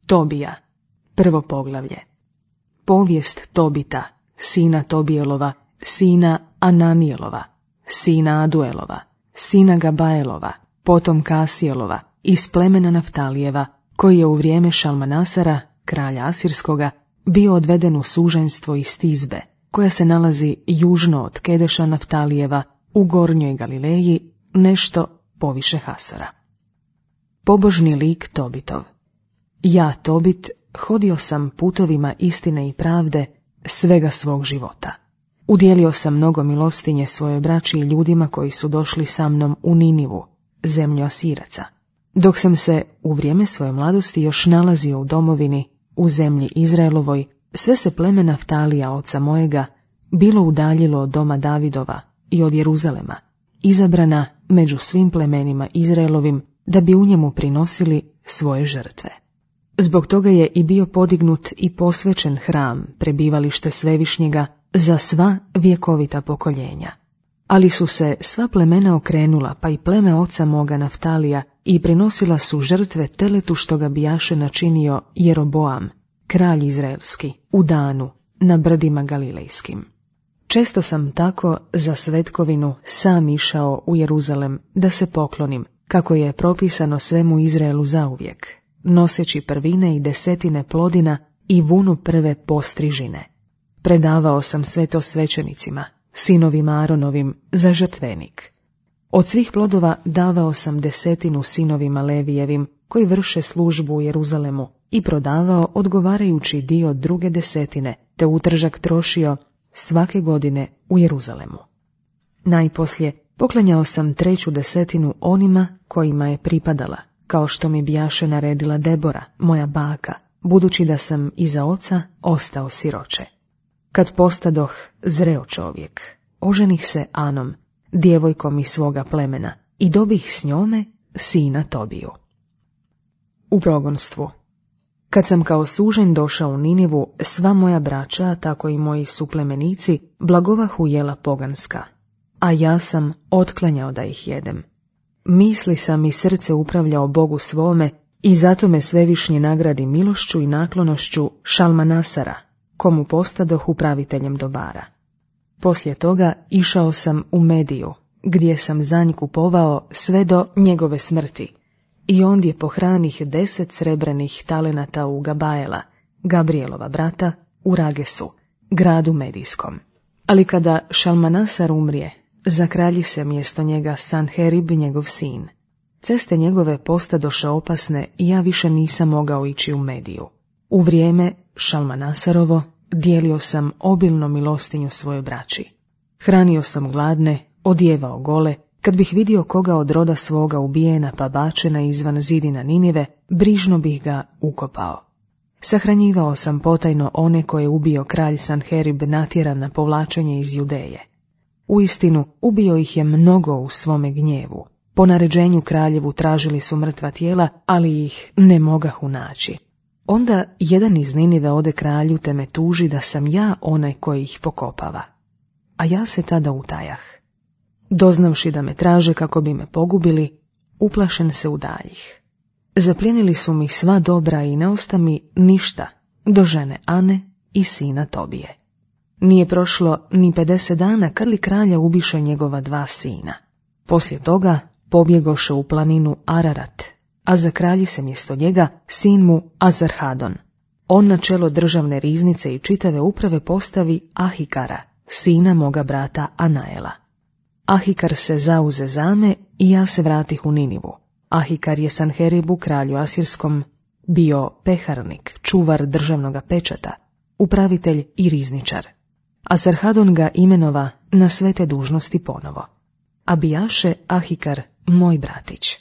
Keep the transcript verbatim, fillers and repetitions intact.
Tobija. Prvo poglavlje. Povijest Tobita, sina Tobijelova, sina Ananijelova, sina Aduelova, sina Gabaelova, potom Kasijelova, iz plemena Naftalijeva, koji je u vrijeme Šalmanasara, kralja Asirskoga, bio odveden u suženstvo iz Tizbe, koja se nalazi južno od Kedeša Naftalijeva, u gornjoj Galileji, nešto poviše Hasora. Pobožni lik Tobitov. Ja, Tobit, hodio sam putovima istine i pravde svega svog života. Udjelio sam mnogo milostinje svojoj braći i ljudima koji su došli sa mnom u Ninivu, zemlju Asiraca, dok sam se u vrijeme svoje mladosti još nalazio u domovini, u zemlji Izraelovoj. Sve se pleme Naftalija, oca mojega, bilo udaljilo od doma Davidova i od Jeruzalema, izabrana među svim plemenima Izraelovim, da bi u njemu prinosili svoje žrtve. Zbog toga je i bio podignut i posvećen hram, prebivalište Svevišnjega, za sva vjekovita pokoljenja. Ali su se sva plemena okrenula, pa i pleme oca moga Naftalija, i prinosila su žrtve teletu što ga bijaše načinio Jeroboam, kralj izraelski, u Danu, na brdima Galilejskim. Često sam tako za svetkovinu sam išao u Jeruzalem da se poklonim, kako je propisano svemu Izraelu zauvijek, noseći prvine i desetine plodina i vunu prve postrižine. Predavao sam sve to svećenicima, sinovima Aronovim, za žrtvenik. Od svih plodova davao sam desetinu sinovima Levijevim, koji vrše službu u Jeruzalemu, i prodavao odgovarajući dio druge desetine, te utržak trošio svake godine u Jeruzalemu. Najposlije poklanjao sam treću desetinu onima kojima je pripadala, kao što mi bijaše naredila Debora, moja baka, budući da sam iza oca ostao siroče. Kad postadoh zreo čovjek, oženih se Anom, djevojkom iz svoga plemena, i dobih s njome sina Tobiju. U progonstvu. Kad sam kao sužen došao u Ninivu, sva moja braća, tako i moji suplemenici, blagovahu jela poganska, a ja sam otklanjao da ih jedem. Misli sam i srce upravljao Bogu svome, i zato me Svevišnji nagradi milošću i naklonošću Šalmanasara, komu postadoh upraviteljem dobara. Poslije toga išao sam u Mediju, gdje sam za nj kupovao sve do njegove smrti, i ondje pohranih deset srebrenih talenata u Gabaela, Gabrijelova brata, u Ragesu, gradu Medijskom. Ali kada Šalmanasar umrije, zakralji se mjesto njega Sanherib, njegov sin. Ceste njegove postadoše opasne i ja više nisam mogao ići u Mediju. U vrijeme Šalmanasarovo dijelio sam obilno milostinju svojoj braći. Hranio sam gladne, odjevao gole. Kad bih vidio koga od roda svoga ubijena pa bačena izvan zidina Ninive, brižno bih ga ukopao. Sahranjivao sam potajno one koje je ubio kralj Sanherib natjeran na povlačenje iz Judeje. Uistinu, ubio ih je mnogo u svome gnjevu. Po naređenju kraljevu tražili su mrtva tijela, ali ih ne mogahu naći. Onda jedan iz Ninive ode kralju te me tuži da sam ja onaj koji ih pokopava. A ja se tada utajah. Doznavši da me traže kako bi me pogubili, uplašen se udaljih. Zaplijenili su mi sva dobra i ne osta mi ništa do žene Ane i sina Tobije. Nije prošlo ni pedeset dana kad li kralja ubiše njegova dva sina. Poslije toga pobjegoše u planinu Ararat, a zakralji se mjesto njega sin mu Azarhadon. On na čelo državne riznice i čitave uprave postavi Ahikara, sina moga brata Anaela. Ahikar se zauze zame i ja se vratih u Ninivu. Ahikar je Sanheribu, kralju Asirskom, bio peharnik, čuvar državnoga pečata, upravitelj i rizničar. Azarhadon ga imenova na sve te dužnosti ponovo. A bijaše Ahikar moj bratić.